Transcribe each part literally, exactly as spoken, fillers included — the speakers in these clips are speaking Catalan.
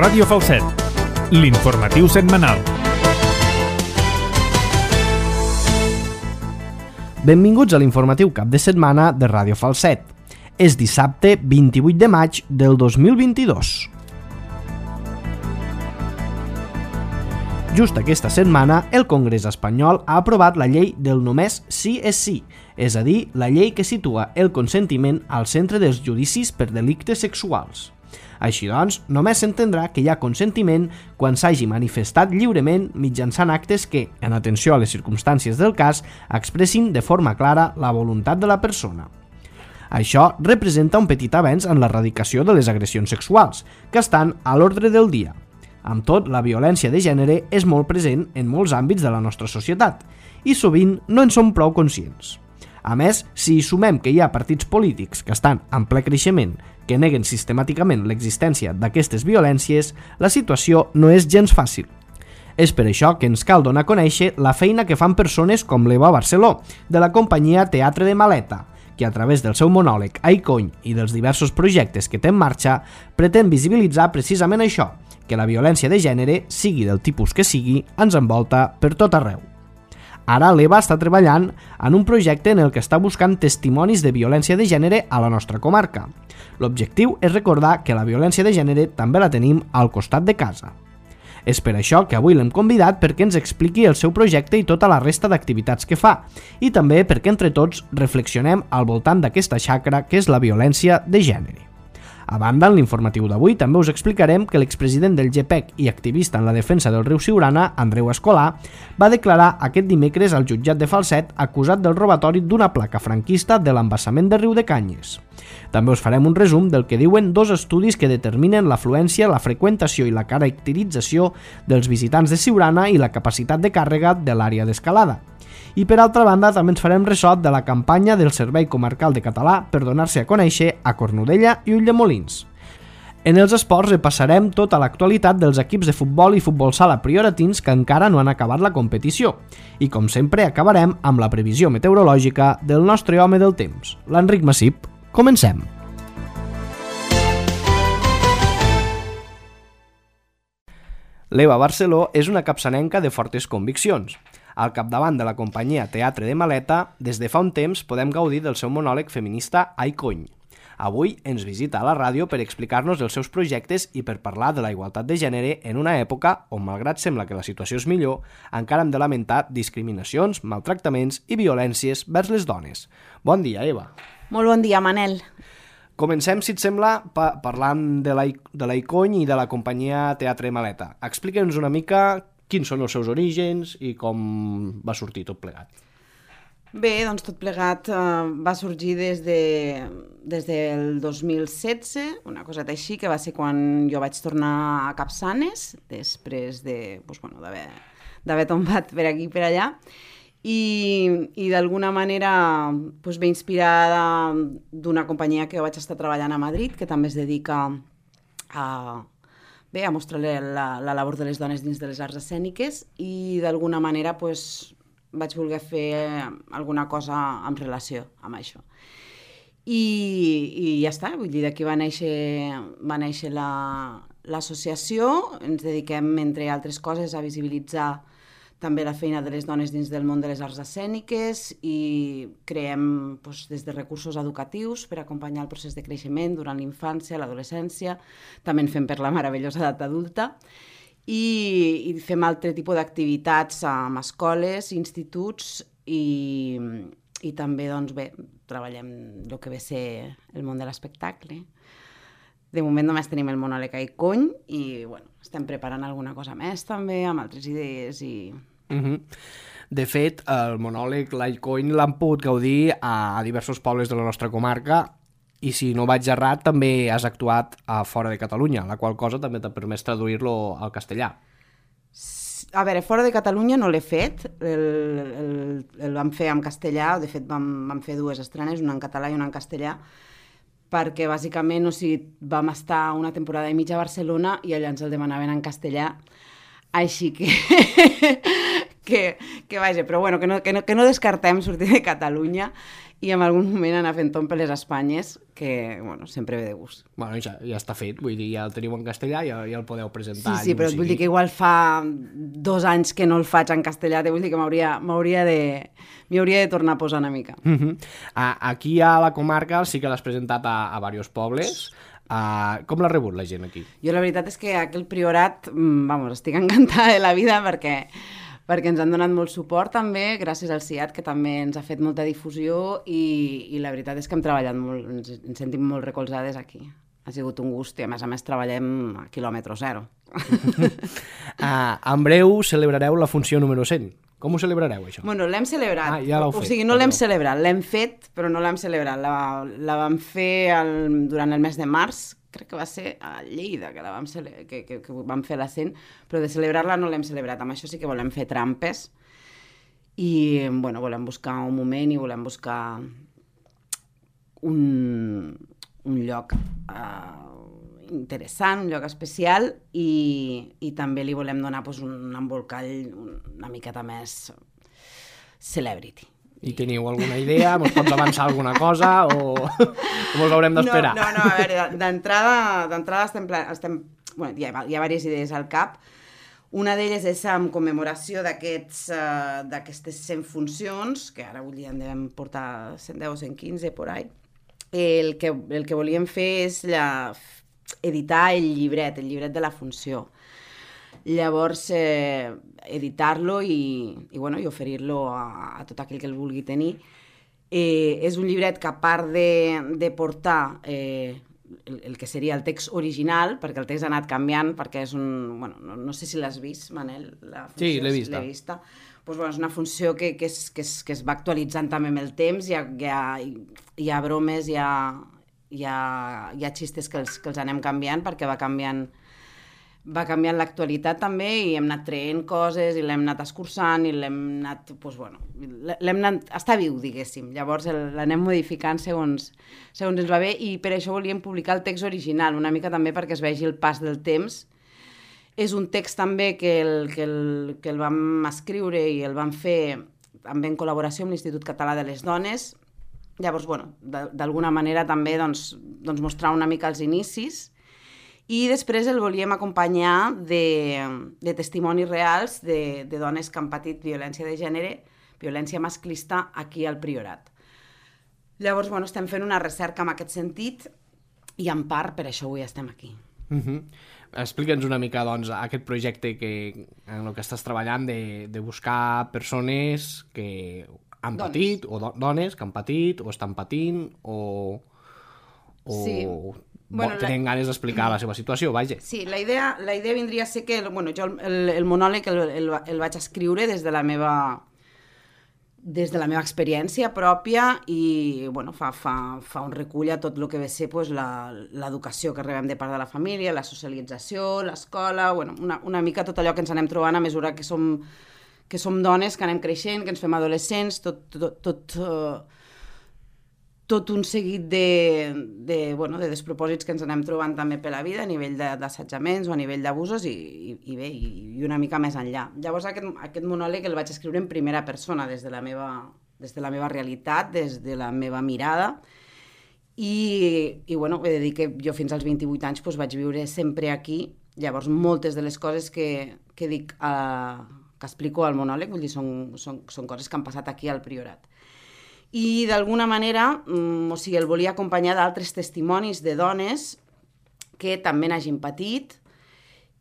Ràdio Falset, l'informatiu setmanal. Benvinguts a l'informatiu cap de setmana de Ràdio Falset. És dissabte vint-i-vuit de maig del dos mil vint-i-dos. Just aquesta setmana, el Congrés espanyol ha aprovat la llei del només sí és sí, és a dir, la llei que situa el consentiment al centre dels judicis per delictes sexuals. Així doncs, només s'entendrà que hi ha consentiment quan s'hagi manifestat lliurement mitjançant actes que, en atenció a les circumstàncies del cas, expressin de forma clara la voluntat de la persona. Això representa un petit avenç en l'erradicació de les agressions sexuals, que estan a l'ordre del dia. Amb tot, la violència de gènere és molt present en molts àmbits de la nostra societat i sovint no en som prou conscients. A més, si hi sumem que hi ha partits polítics que estan en ple creixement que neguen sistemàticament l'existència d'aquestes violències, la situació no és gens fàcil. És per això que ens cal donar a conèixer la feina que fan persones com l'Eva Barceló, de la companyia Teatre de Maleta, que a través del seu monòleg Ai Cony i dels diversos projectes que té en marxa, pretén visibilitzar precisament això, que la violència de gènere, sigui del tipus que sigui, ens envolta per tot arreu. Ara l'Eva està treballant en un projecte en el que està buscant testimonis de violència de gènere a la nostra comarca. L'objectiu és recordar que la violència de gènere també la tenim al costat de casa. És per això que avui l'hem convidat perquè ens expliqui el seu projecte i tota la resta d'activitats que fa, i també perquè entre tots reflexionem al voltant d'aquesta xacra que és la violència de gènere. A banda, en l'informatiu d'avui també us explicarem que l'expresident del G P E C i activista en la defensa del riu Siurana, Andreu Escolà, va declarar aquest dimecres al jutjat de Falset acusat del robatori d'una placa franquista de l'embassament de Riu de Canyes. També us farem un resum del que diuen dos estudis que determinen l'afluència, la freqüentació i la caracterització dels visitants de Siurana i la capacitat de càrrega de l'àrea d'escalada. I per altra banda també ens farem ressò de la campanya del Servei Comarcal de Català per donar-se a conèixer a Cornudella i Ulldemolins. En els esports repassarem tota l'actualitat dels equips de futbol i futbol sala prioratins que encara no han acabat la competició. I com sempre acabarem amb la previsió meteorològica del nostre home del temps, l'Enric Massip. Comencem! L'Eva Barceló és una capçanenca de fortes conviccions. Al capdavant de la companyia Teatre de Maleta, des de fa un temps podem gaudir del seu monòleg feminista Ai Cony. Avui ens visita a la ràdio per explicar-nos els seus projectes i per parlar de la igualtat de gènere en una època on, malgrat sembla que la situació és millor, encara hem de lamentar discriminacions, maltractaments i violències vers les dones. Bon dia, Eva. Molt bon dia, Manel. Comencem, si et sembla, pa parlant de l'Ai Cony i de la companyia Teatre de Maleta. Explica'ns una mica quins són els seus orígens i com va sortir tot plegat. Bé, doncs tot plegat eh, va sorgir des, de, des del dos mil setze, una coseta així, que va ser quan jo vaig tornar a Capçanes, després de, doncs, bueno, d'haver tombat per aquí i per allà, i, i d'alguna manera doncs, ve inspirada d'una companyia que jo vaig estar treballant a Madrid, que també es dedica a... Bé, a mostrar la, la labor de les dones dins de les arts escèniques i d'alguna manera pues, vaig voler fer alguna cosa en relació amb això. I, i ja està, vull dir, d'aquí va néixer, va néixer l'associació, la, ens dediquem, entre altres coses, a visibilitzar també la feina de les dones dins del món de les arts escèniques i creem doncs, des de recursos educatius per acompanyar el procés de creixement durant l'infància, l'adolescència, també en fem per la meravellosa edat adulta i, i fem altre tipus d'activitats amb escoles, instituts i, i també doncs, bé, treballem el que ve a ser el món de l'espectacle. De moment només tenim el monòleg Ai Cony i bueno, estem preparant alguna cosa més també amb altres idees i... Uh-huh. De fet, el monòleg l'Ai Cony l'han pogut gaudir a diversos pobles de la nostra comarca i si no vaig errat també has actuat a fora de Catalunya, la qual cosa també t'ha permès traduir-lo al castellà. A veure, fora de Catalunya no l'he fet, el, el, el vam fer en castellà, de fet vam, vam fer dues estrenes, una en català i una en castellà, perquè bàsicament o sigui, vam estar una temporada i mitja a Barcelona i allà ens el demanaven en castellà, així que, que, que vaja, però bueno, que no, que, no, que no descartem sortir de Catalunya i en algun moment anar fent tom per les Espanyes, que, bueno, sempre ve de gust. Bueno, ja, ja està fet, vull dir, ja el teniu en castellà, ja, ja el podeu presentar. Sí, sí, però et vull dir que igual fa dos anys que no el faig en castellà, te vull dir que m'hauria m'hauria de... m'hi hauria de tornar a posar una mica. Uh -huh. uh, aquí a la comarca sí que l'has presentat a, a diversos pobles. Uh, com l'ha rebut la gent aquí? Jo la veritat és que aquell priorat, vamos, estic encantada de la vida perquè perquè ens han donat molt suport també, gràcies al C I A T, que també ens ha fet molta difusió i, i la veritat és que hem treballat molt, ens, ens sentim molt recolzades aquí. Ha sigut un gust i a més a més treballem a quilòmetre zero. uh, en breu celebrareu la funció número cent. Com ho celebrareu, això? Bueno, l'hem celebrat. Ah, ja l'heu fet. O sigui, no l'hem celebrat, l'hem fet, però no l'hem celebrat. La, la vam fer el, durant el mes de març, crec que va ser a Lleida que, la vam, cele que, que, que vam fer la cent, però de celebrar-la no l'hem celebrat. Amb això sí que volem fer trampes i, bueno, volem buscar un moment i volem buscar un, un lloc uh, interessant, un lloc especial i, i també li volem donar pues, un embolcall una miqueta més celebrity. I teniu alguna idea? Mos pots avançar alguna cosa o, o mos haurem d'esperar? No, no, no, a veure, d'entrada d'entrada estem, estem bueno, hi ha, hi ha diverses idees al cap. Una d'elles és en commemoració d'aquestes uh, d'aquestes cent funcions, que ara avui en devem portar cent deu o cent quinze, por ahí. El que, el que volíem fer és la, editar el llibret, el llibret de la funció. Llavors, eh, editar-lo i, i, bueno, i oferir-lo a, a tot aquell que el vulgui tenir. Eh, és un llibret que, a part de, de portar eh, el, el que seria el text original, perquè el text ha anat canviant, perquè és un... Bueno, no, no sé si l'has vist, Manel. La funció, sí, l'he vista. vista. Pues, bueno, és una funció que, que, és, que, és, que es va actualitzant també amb el temps, hi ha, hi ha, hi ha bromes, hi ha, hi ha, hi ha xistes que els, que els anem canviant, perquè va canviant va canviant l'actualitat també i hem anat traient coses i l'hem anat escurçant i l'hem anat, doncs bueno, l'hem anat, està viu, diguéssim, llavors l'anem modificant segons, segons ens va bé i per això volíem publicar el text original, una mica també perquè es vegi el pas del temps. És un text també que el, que el, que el vam escriure i el vam fer també en col·laboració amb l'Institut Català de les Dones, llavors, bueno, d'alguna manera també doncs, doncs mostrar una mica els inicis. I després el volíem acompanyar de, de testimonis reals de, de dones que han patit violència de gènere, violència masclista, aquí al Priorat. Llavors, bueno, estem fent una recerca en aquest sentit i en part per això avui estem aquí. Uh-huh. Explica'ns una mica, doncs, aquest projecte que, en el que estàs treballant de, de buscar persones que han dones. patit, o do, dones que han patit, o estan patint, o... o... Sí. Bueno, tenen la... ganes d'explicar la seva situació, vaja. Sí, la idea, la idea vindria a ser que, bueno, jo el, el monòleg el, el, el vaig escriure des de la meva des de la meva experiència pròpia i, bueno, fa, fa, fa un recull a tot el que ve ser pues, l'educació que rebem de part de la família, la socialització, l'escola, bueno, una, una mica tot allò que ens anem trobant a mesura que som, que som dones, que anem creixent, que ens fem adolescents, tot... tot, tot uh, tot un seguit de, de, bueno, de despropòsits que ens anem trobant també per la vida a nivell d'assetjaments o a nivell d'abusos i, i, i bé, i, i una mica més enllà. Llavors aquest, aquest monòleg el vaig escriure en primera persona, des de la meva, des de la meva realitat, des de la meva mirada i, i bueno, he de dir que jo fins als vint-i-vuit anys doncs, vaig viure sempre aquí, llavors moltes de les coses que, que dic, uh, que explico al monòleg, vull dir, són, són, són coses que han passat aquí al Priorat. I d'alguna manera, o sigui, el volia acompanyar d'altres testimonis de dones que també n'hagin patit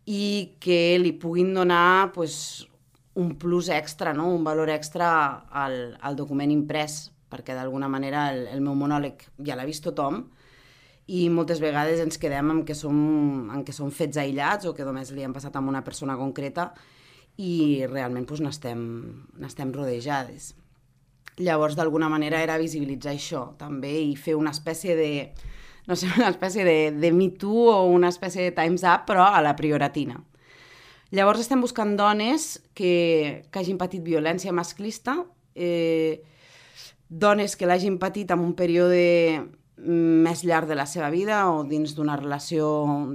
i que li puguin donar pues, un plus extra, no? Un valor extra al, al document imprès, perquè d'alguna manera el, el meu monòleg ja l'ha vist tothom i moltes vegades ens quedem amb que som, amb que som fets aïllats o que només li han passat a una persona concreta i realment pues, n'estem, n'estem rodejades. Llavors, d'alguna manera, era visibilitzar això, també, i fer una espècie de, no sé, una espècie de, de Me Too o una espècie de Time's Up, però a la prioratina. Llavors, estem buscant dones que, que hagin patit violència masclista, eh, dones que l'hagin patit en un període més llarg de la seva vida o dins d'una relació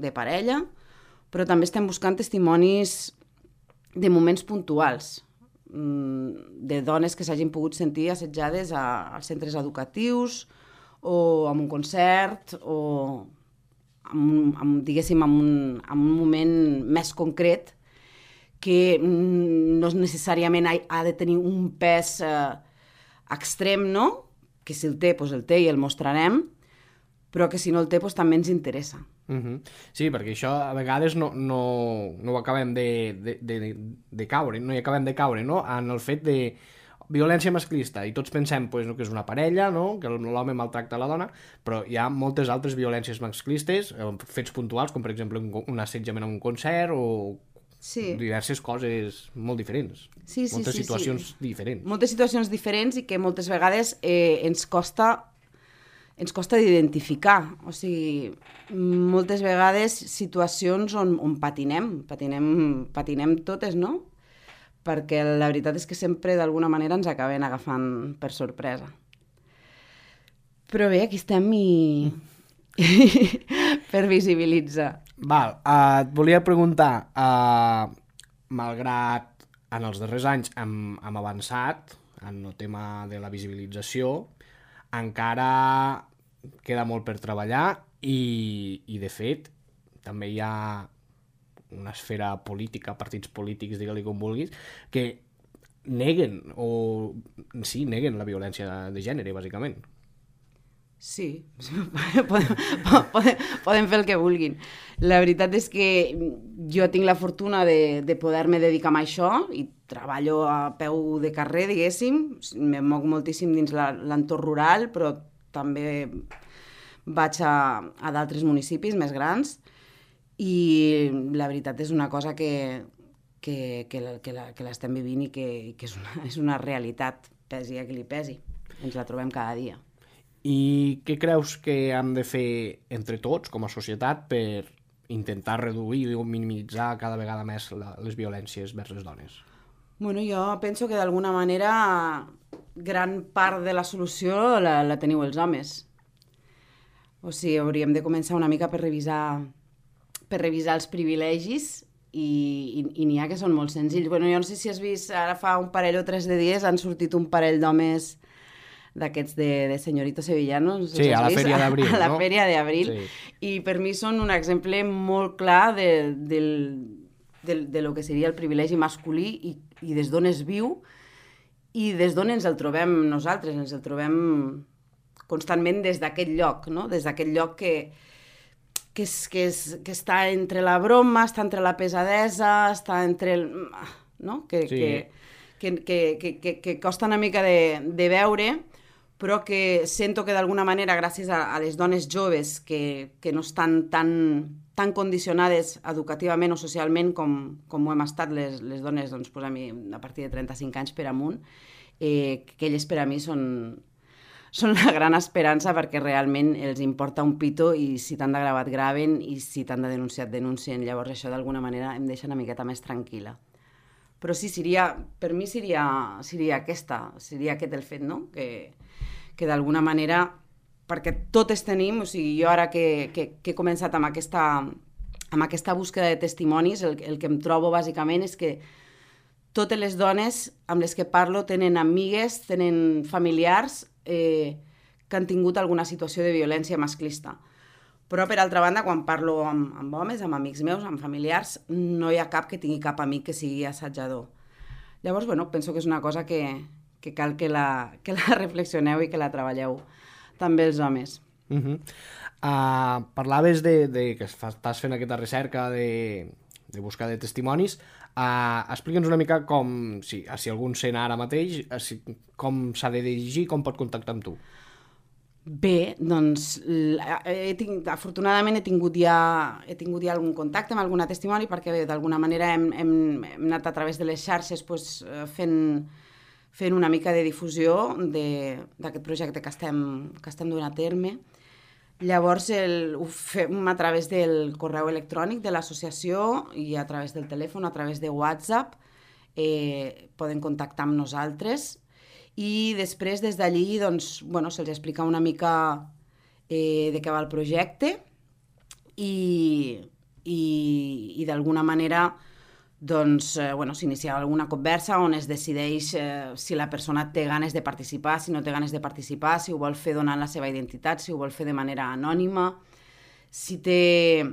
de parella, però també estem buscant testimonis de moments puntuals, de dones que s'hagin pogut sentir assetjades a, als centres educatius o en un concert o, amb, amb, diguéssim, en un, en un moment més concret que no necessàriament ha, ha de tenir un pes eh, extrem, no? Que si el té, doncs el té i el mostrarem, però que si no el té, doncs també ens interessa. Uh-huh. Sí, perquè això a vegades no, no, no ho acabem de, de, de, de caure, no hi acabem de caure, no? En el fet de violència masclista, i tots pensem pues, no, que és una parella, no? Que l'home maltracta la dona, però hi ha moltes altres violències masclistes, fets puntuals, com per exemple un, un assetjament a un concert o sí. diverses coses molt diferents, sí, sí, moltes sí, situacions sí. diferents. Moltes situacions diferents i que moltes vegades eh, ens costa ens costa d'identificar, o sigui, moltes vegades situacions on, on patinem, patinem, patinem totes, no? Perquè la veritat és que sempre d'alguna manera ens acaben agafant per sorpresa. Però bé, aquí estem i... per visibilitzar. Val, uh, et volia preguntar, uh, malgrat en els darrers anys hem, hem avançat en el tema de la visibilització, encara queda molt per treballar i, i de fet també hi ha una esfera política, partits polítics, digue-li com vulguis, que neguen o sí, neguen la violència de, de gènere, bàsicament. Sí, podem, podem, podem fer el que vulguin. La veritat és que jo tinc la fortuna de, de poder-me dedicar a això i treballo a peu de carrer, diguéssim. Me moc moltíssim dins l'entorn rural, però també vaig a, a d'altres municipis més grans i la veritat és una cosa que, que, que, que, la, que l'estem vivint i que, que és, una, és una realitat, pesi a qui li pesi. Ens la trobem cada dia. I què creus que hem de fer entre tots, com a societat, per intentar reduir o minimitzar cada vegada més la, les violències vers les dones? Bueno, jo penso que d'alguna manera gran part de la solució la, la teniu els homes. O sigui, hauríem de començar una mica per revisar, per revisar els privilegis i, i, i n'hi ha que són molt senzills. Bueno, jo no sé si has vist, ara fa un parell o tres de dies han sortit un parell d'homes d'aquests de, de Señorito Sevillano. No sé sí, si a la vist, Fèria d'Abril, no? A la no? Fèria d'Abril. Sí. I per mi són un exemple molt clar de, del, de, de lo que seria el privilegi masculí i, i des d'on es viu i des d'on ens el trobem nosaltres, ens el trobem constantment des d'aquest lloc, no? Des d'aquest lloc que, que, és, que, és, que està entre la broma, està entre la pesadesa, està entre el... no? Que, sí. que, que, que, que, que costa una mica de, de veure, però que sento que d'alguna manera, gràcies a, a les dones joves que, que no estan tan, tan condicionades educativament o socialment com, com ho hem estat les, les dones doncs, pues a, mi, a partir de trenta-cinc anys per amunt, eh, que elles per a mi són, són la gran esperança perquè realment els importa un pito i si t'han de gravar et graven i si t'han de denunciar et denuncien. Llavors això d'alguna manera em deixa una miqueta més tranquil·la. Però sí, seria, per mi seria, seria aquesta, seria aquest el fet, no? Que, que d'alguna manera, perquè totes tenim, o sigui, jo ara que, que, que he començat amb aquesta, amb aquesta búsqueda de testimonis, el, el que em trobo bàsicament és que totes les dones amb les que parlo tenen amigues, tenen familiars eh, que han tingut alguna situació de violència masclista. Però, per altra banda, quan parlo amb, amb homes, amb amics meus, amb familiars, no hi ha cap que tingui cap amic que sigui assajador. Llavors, bueno, penso que és una cosa que, que cal que la, que la reflexioneu i que la treballeu també els homes. Uh-huh. Uh, parlaves de, de que estàs fent aquesta recerca de, de buscar de testimonis. Uh, Explica'ns una mica com, si, si algun sent ara mateix, si, com s'ha de dirigir, com pot contactar amb tu. Bé, doncs, he tinc, afortunadament he tingut, ja, he tingut ja algun contacte amb alguna testimoni perquè d'alguna manera hem, hem, hem anat a través de les xarxes pues, fent, fent una mica de difusió d'aquest projecte que estem, que estem duent a terme. Llavors el, ho fem a través del correu electrònic de l'associació i a través del telèfon, a través de WhatsApp, eh, poden contactar amb nosaltres. I després, des d'allí, doncs, bueno, se'ls explica una mica eh, de què va el projecte i, i, i d'alguna manera doncs, eh, bueno, s'inicia alguna conversa on es decideix eh, si la persona té ganes de participar, si no té ganes de participar, si ho vol fer donant la seva identitat, si ho vol fer de manera anònima, si té...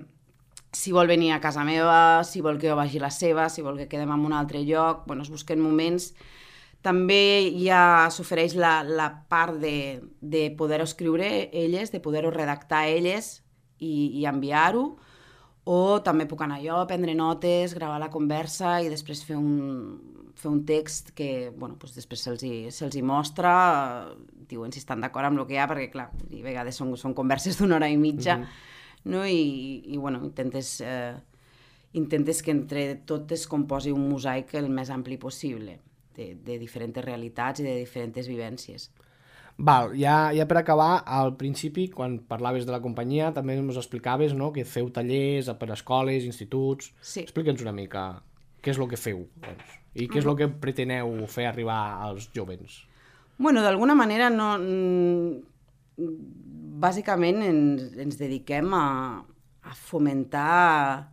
si vol venir a casa meva, si vol que jo vagi a la seva, si vol que quedem en un altre lloc, bueno, es busquen moments. També ja s'ofereix la, la part de, de poder-ho escriure elles, de poder-ho redactar elles i, i enviar-ho, o també puc anar jo a prendre notes, gravar la conversa i després fer un, fer un text que bueno, doncs després se'ls hi, se'ls hi mostra, diuen si estan d'acord amb el que hi ha, perquè clar, a vegades són, són converses d'una hora i mitja, mm-hmm. no? I, i bueno, intentes, eh, intentes que entre tot es composi un mosaic el més ampli possible, de, de diferents realitats i de diferents vivències. Val, ja, ja per acabar, al principi, quan parlaves de la companyia, també ens explicaves, no?, que feu tallers per escoles, instituts... Sí. Explica'ns una mica què és el que feu, doncs, i què és el que preteneu fer arribar als jóvens. Bueno, d'alguna manera, no... bàsicament ens, ens dediquem a, a fomentar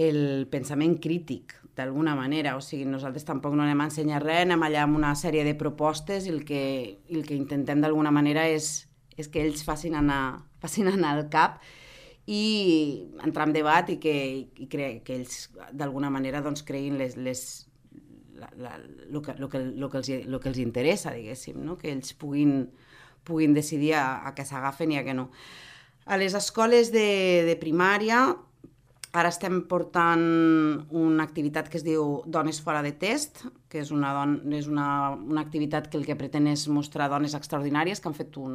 el pensament crític, d'alguna manera. O sigui, nosaltres tampoc no anem a ensenyar res, anem allà amb una sèrie de propostes i el que, el que intentem d'alguna manera és, és que ells facin anar, facin anar al cap i entrar en debat i que, i cre, que ells d'alguna manera doncs, creïn les, les, la, la, lo, que, lo, que, lo, que els, lo que els interessa, diguéssim, no? Que ells puguin, puguin decidir a, a què s'agafen i a què no. A les escoles de, de primària ara estem portant una activitat que es diu Dones fora de test, que és una, don, és una, una activitat que el que pretén és mostrar dones extraordinàries que han fet un,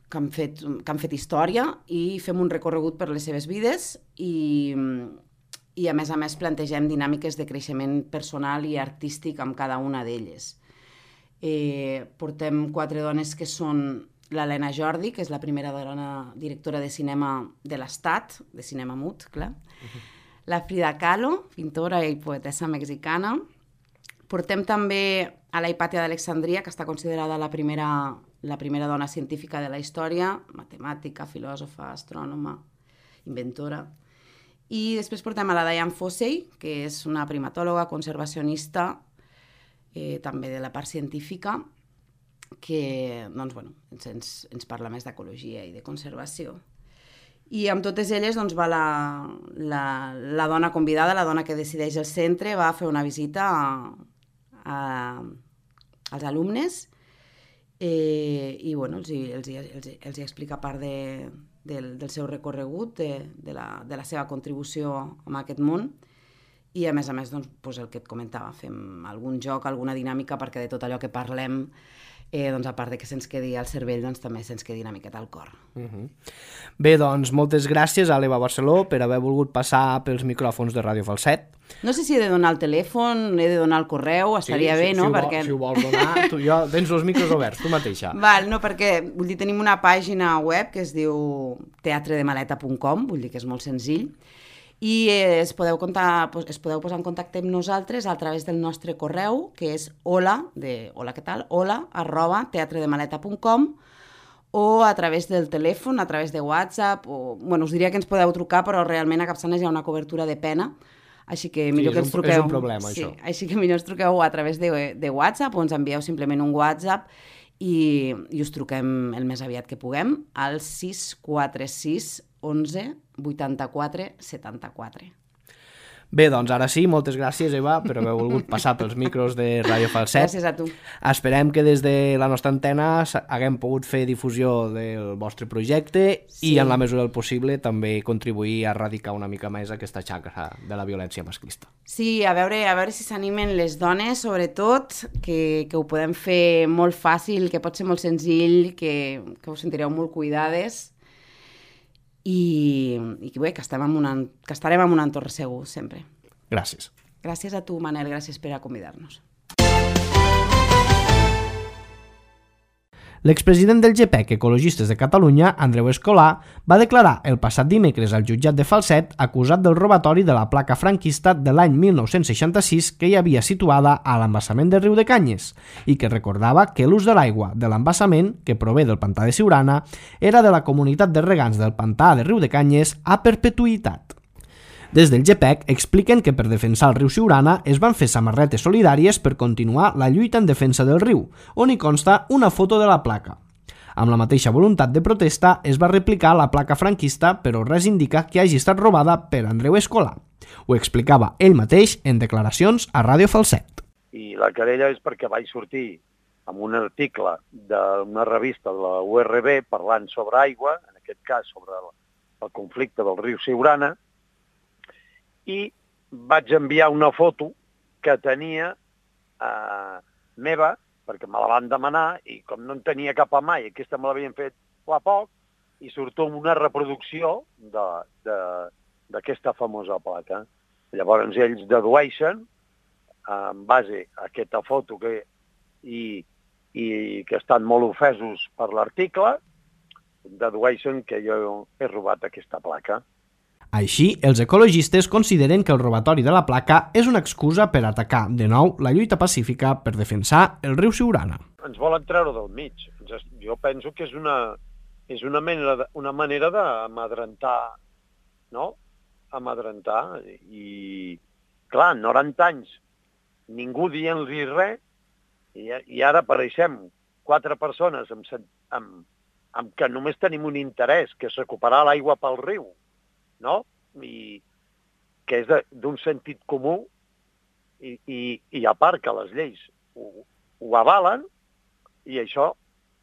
que han fet, que han fet història i fem un recorregut per les seves vides i, i a més a més plantegem dinàmiques de creixement personal i artístic amb cada una d'elles. Eh, portem quatre dones que són l'Helena Jordi, que és la primera dona directora de cinema de l'Estat, de cinema mut, clar. Uh-huh. La Frida Kahlo, pintora i poetessa mexicana. Portem també a la Hipàtia d'Alexandria, que està considerada la primera, la primera dona científica de la història, matemàtica, filòsofa, astrònoma, inventora. I després portem a la Diane Fossey, que és una primatòloga, conservacionista, eh, també de la part científica, que doncs, bueno, ens, ens parla més d'ecologia i de conservació. I amb totes elles doncs, va la, la, la dona convidada, la dona que decideix el centre, va fer una visita a, a, als alumnes eh, i bueno, els, els, els, els explica part de, del, del seu recorregut, de, de, la, de la seva contribució a aquest món. I a més a més, doncs, doncs el que et comentava, fem algun joc, alguna dinàmica, perquè de tot allò que parlem, eh, doncs, a part de que se'ns quedi al cervell, doncs també se'ns quedi una miqueta al cor. Uh-huh. Bé, doncs, moltes gràcies a l'Eva Barceló per haver volgut passar pels micròfons de Ràdio Falset. No sé si he de donar el telèfon, he de donar el correu, estaria sí, bé, si, no? Si, perquè... vol, si ho vols donar, tu, jo, tens els micros oberts, tu mateixa. Val, no, perquè, vull dir, tenim una pàgina web que es diu teatre de maleta punt com, vull dir que és molt senzill, i es podeu, comptar, es podeu posar en contacte amb nosaltres a través del nostre correu, que és hola, de hola, què tal? hola, arroba teatredemaleta punt com, o a través del telèfon, a través de WhatsApp, o, bueno, us diria que ens podeu trucar, però realment a Capçanes hi ha una cobertura de pena, així que millor sí, que ens truqueu... És un problema, sí, això. Així que millor ens truqueu a través de, de WhatsApp, o ens envieu simplement un WhatsApp i, i us truquem el més aviat que puguem, al sis quatre sis onze vuitanta-quatre setanta-quatre. Bé, doncs ara sí, moltes gràcies, Eva, per haver volgut passar pels micros de Ràdio Falset. Gràcies a tu. Esperem que des de la nostra antena haguem pogut fer difusió del vostre projecte sí. i, en la mesura del possible, també contribuir a erradicar una mica més aquesta xacra de la violència masclista. Sí, a veure, a veure si s'animen les dones, sobretot, que, que ho podem fer molt fàcil, que pot ser molt senzill, que, que us sentireu molt cuidades, i, i bé, que, estem en una, que estarem en un entorn segur, sempre. Gràcies. Gràcies a tu, Manel, gràcies per acomiadar-nos. L'expresident del G P E C Ecologistes de Catalunya, Andreu Escolà, va declarar el passat dimecres al jutjat de Falset acusat del robatori de la placa franquista de l'any mil nou-cents seixanta-sis que hi havia situada a l'embassament de Riudecanyes i que recordava que l'ús de l'aigua de l'embassament, que prové del pantà de Siurana, era de la comunitat de regants del pantà de Riudecanyes a perpetuïtat. Des del G P E C expliquen que per defensar el riu Siurana es van fer samarretes solidàries per continuar la lluita en defensa del riu, on hi consta una foto de la placa. Amb la mateixa voluntat de protesta es va replicar la placa franquista, però res indica que hagi estat robada per Andreu Escolà. Ho explicava ell mateix en declaracions a Ràdio Falset. I la querella és perquè vaig sortir amb un article d'una revista de la U R B parlant sobre aigua, en aquest cas sobre el, el conflicte del riu Siurana, i vaig enviar una foto que tenia eh, meva, perquè me la van demanar, i com no en tenia cap a mai, aquesta me l'havien fet fa poc, i surto amb una reproducció d'aquesta famosa placa. Llavors ells dedueixen, en base a aquesta foto que, i, i que estan molt ofesos per l'article, dedueixen que jo he robat aquesta placa. Així, els ecologistes consideren que el robatori de la placa és una excusa per atacar, de nou, la lluita pacífica per defensar el riu Siurana. Ens volen treure del mig. Jo penso que és una, és una manera, de, una manera d'amadrentar, no? Amadrentar. I, clar, en noranta anys, ningú dient-li res, i, i ara apareixem quatre persones amb, amb, amb que només tenim un interès, que és recuperar l'aigua pel riu, no? I que és d'un sentit comú i, i, i a part que les lleis ho, ho avalen i això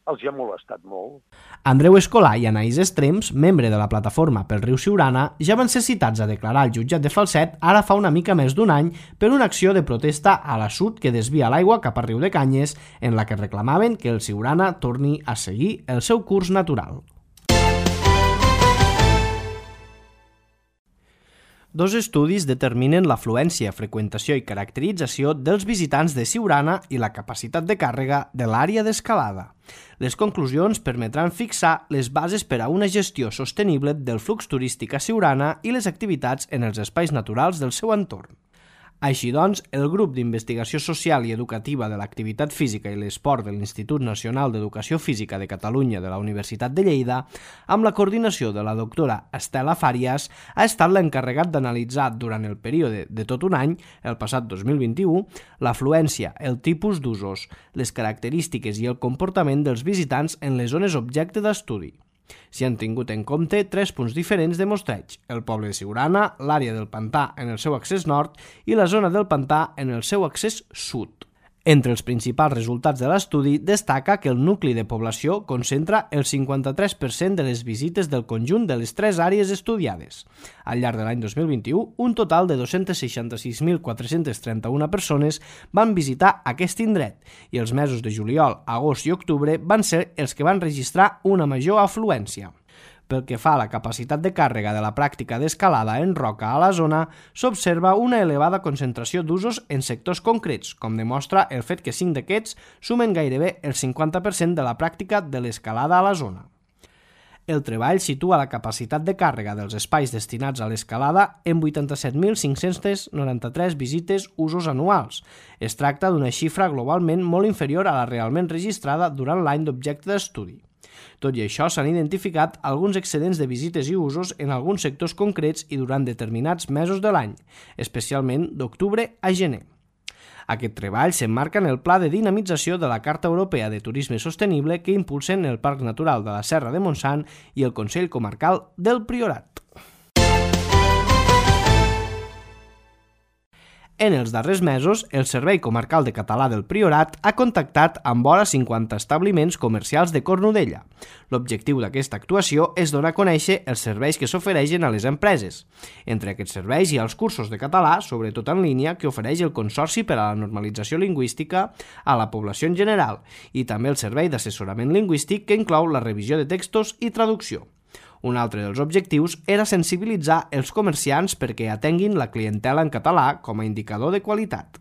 els ha molestat molt. Andreu Escolà i Anaïs Estrems, membre de la plataforma pel riu Siurana, ja van ser citats a declarar al jutjat de Falset ara fa una mica més d'un any per una acció de protesta a l'assut que desvia l'aigua cap a Riu de Canyes, en la que reclamaven que el Siurana torni a seguir el seu curs natural. Dos estudis determinen l'afluència, freqüentació i caracterització dels visitants de Siurana i la capacitat de càrrega de l'àrea d'escalada. Les conclusions permetran fixar les bases per a una gestió sostenible del flux turístic a Siurana i les activitats en els espais naturals del seu entorn. Així doncs, el grup d'investigació social i educativa de l'activitat física i l'esport de l'Institut Nacional d'Educació Física de Catalunya de la Universitat de Lleida, amb la coordinació de la doctora Estela Fàries, ha estat l'encarregat d'analitzar durant el període de tot un any, el passat dos mil vint-i-u, l'afluència, el tipus d'usos, les característiques i el comportament dels visitants en les zones objecte d'estudi. S'hi han tingut en compte tres punts diferents de mostreig: el poble de Siurana, l'àrea del pantà en el seu accés nord i la zona del pantà en el seu accés sud. Entre els principals resultats de l'estudi destaca que el nucli de població concentra el cinquanta-tres per cent de les visites del conjunt de les tres àrees estudiades. Al llarg de l'any dos mil vint-i-u, un total de dos-cents seixanta-sis mil quatre-cents trenta-una persones van visitar aquest indret i els mesos de juliol, agost i octubre van ser els que van registrar una major afluència. Pel que fa a la capacitat de càrrega de la pràctica d'escalada en roca a la zona, s'observa una elevada concentració d'usos en sectors concrets, com demostra el fet que cinc d'aquests sumen gairebé el cinquanta per cent de la pràctica de l'escalada a la zona. El treball situa la capacitat de càrrega dels espais destinats a l'escalada en vuitanta-set mil cinc-cents noranta-tres visites usos anuals. Es tracta d'una xifra globalment molt inferior a la realment registrada durant l'any d'objecte d'estudi. Tot i això, s'han identificat alguns excedents de visites i usos en alguns sectors concrets i durant determinats mesos de l'any, especialment d'octubre a gener. Aquest treball s'emmarca en el Pla de Dinamització de la Carta Europea de Turisme Sostenible que impulsen el Parc Natural de la Serra de Montsant i el Consell Comarcal del Priorat. En els darrers mesos, el Servei Comarcal de Català del Priorat ha contactat amb vora cinquanta establiments comercials de Cornudella. L'objectiu d'aquesta actuació és donar a conèixer els serveis que s'ofereixen a les empreses. Entre aquests serveis hi ha els cursos de català, sobretot en línia, que ofereix el Consorci per a la Normalització Lingüística a la població en general, i també el servei d'assessorament lingüístic que inclou la revisió de textos i traducció. Un altre dels objectius era sensibilitzar els comerciants perquè atenguin la clientela en català com a indicador de qualitat.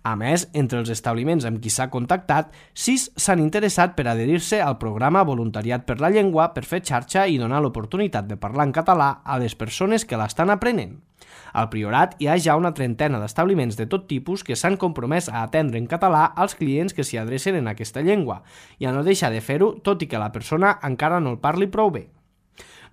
A més, entre els establiments amb qui s'ha contactat, sis s'han interessat per adherir-se al programa Voluntariat per la Llengua per fer xarxa i donar l'oportunitat de parlar en català a les persones que l'estan aprenent. Al Priorat hi ha ja una trentena d'establiments de tot tipus que s'han compromès a atendre en català als clients que s'hi adrecen en aquesta llengua i a no deixar de fer-ho tot i que la persona encara no el parli prou bé.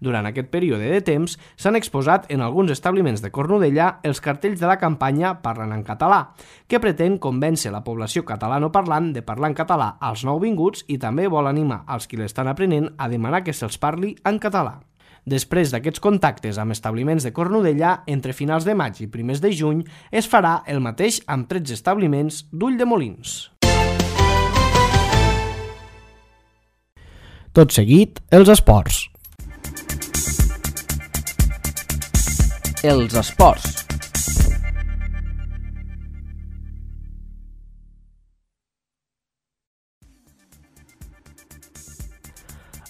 Durant aquest període de temps s'han exposat en alguns establiments de Cornudella els cartells de la campanya Parlant en català, que pretén convèncer la població catalanoparlant de parlar en català als nouvinguts i també vol animar als qui l'estan aprenent a demanar que se'ls parli en català. Després d'aquests contactes amb establiments de Cornudella, entre finals de maig i primers de juny, es farà el mateix amb tretze establiments d'Ulldemolins. Tot seguit, els esports. Els esports.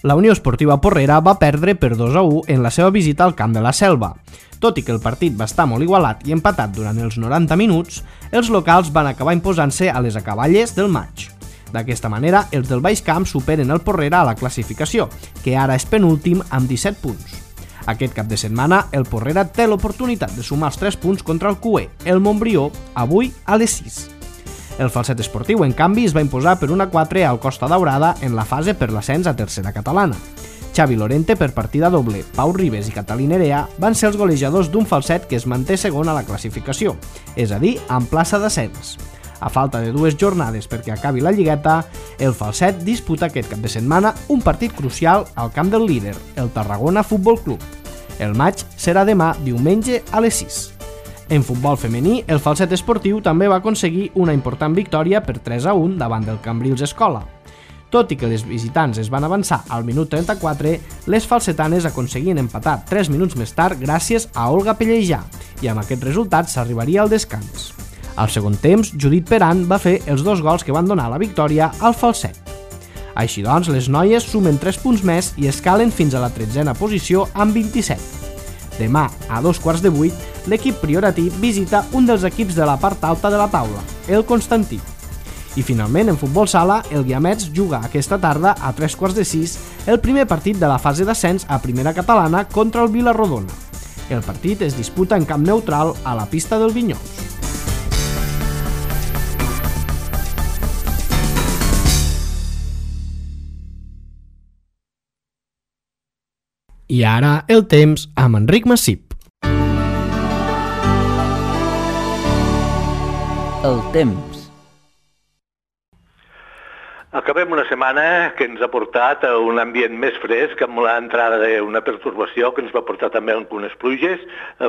La Unió Esportiva Porrera va perdre per dos a u en la seva visita al Camp de la Selva. Tot i que el partit va estar molt igualat i empatat durant els noranta minuts, els locals van acabar imposant-se a les acaballes del maig. D'aquesta manera, els del Baix Camp superen el Porrera a la classificació, que ara és penúltim amb disset punts. Aquest cap de setmana, el Porrera té l'oportunitat de sumar els tres punts contra el Cué, el Montbrió, avui a les sis. El Falset Esportiu, en canvi, es va imposar per un a quatre al Costa Daurada en la fase per l'ascens a tercera catalana. Xavi Lorente, per partida doble, Pau Ribes i Catalí Nerea van ser els golejadors d'un Falset que es manté segon a la classificació, és a dir, en plaça d'ascens. A falta de dues jornades perquè acabi la lligueta, el Falset disputa aquest cap de setmana un partit crucial al camp del líder, el Tarragona Futbol Club. El maig serà demà, diumenge, a les sis. En futbol femení, el Falset Esportiu també va aconseguir una important victòria per tres a un davant del Cambrils Escola. Tot i que les visitants es van avançar al minut trenta-quatre, les falsetanes aconseguien empatar tres minuts més tard gràcies a Olga Pellejà, i amb aquest resultat s'arribaria al descans. Al segon temps, Judit Peran va fer els dos gols que van donar la victòria al Falset. Així doncs, les noies sumen tres punts més i escalen fins a la tretzena posició amb vint-i-set. Demà, a dos quarts de vuit, l'equip prioratí visita un dels equips de la part alta de la taula, el Constantí. I finalment, en futbol sala, el Guiamets juga aquesta tarda a tres quarts de sis el primer partit de la fase d'ascens a primera catalana contra el Vilarrodona. El partit es disputa en camp neutral a la pista del Vinyols. I ara el temps amb Enric Massip. El temps. Acabem una setmana que ens ha portat a un ambient més fresc amb l'entrada d'una pertorbació que ens va portar també algunes pluges,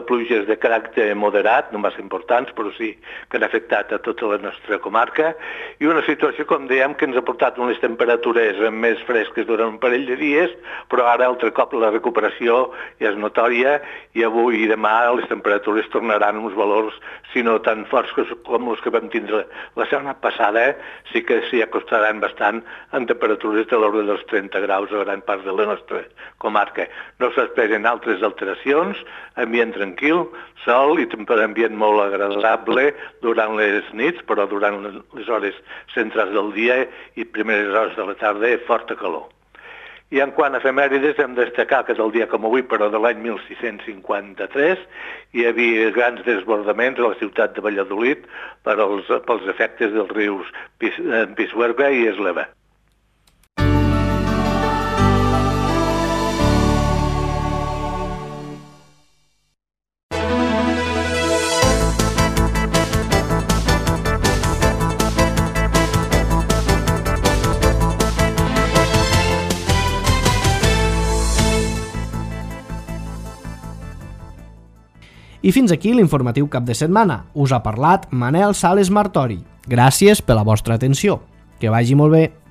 pluges de caràcter moderat, no massa importants, però sí que han afectat a tota la nostra comarca, i una situació, com dèiem, que ens ha portat unes temperatures més fresques durant un parell de dies, però ara altre cop la recuperació ja és notòria i avui i demà les temperatures tornaran a uns valors, si no tan forts com els que vam tindre la setmana passada, sí que s'hi acostaran bastant en temperatures de l'ordre dels trenta graus a gran part de la nostra comarca. No s'esperen altres alteracions, ambient tranquil, sol i ambient molt agradable durant les nits, però durant les hores centrals del dia i primeres hores de la tarda, forta calor. I en quant a efemèrides, hem de destacar que del dia com avui, però de l'any mil sis-cents cinquanta-tres, hi havia grans desbordaments a la ciutat de Valladolid per als, pels efectes dels rius Pisuerga i Esleva. I fins aquí l'informatiu cap de setmana. Us ha parlat Manel Sales Martori. Gràcies per la vostra atenció. Que vagi molt bé.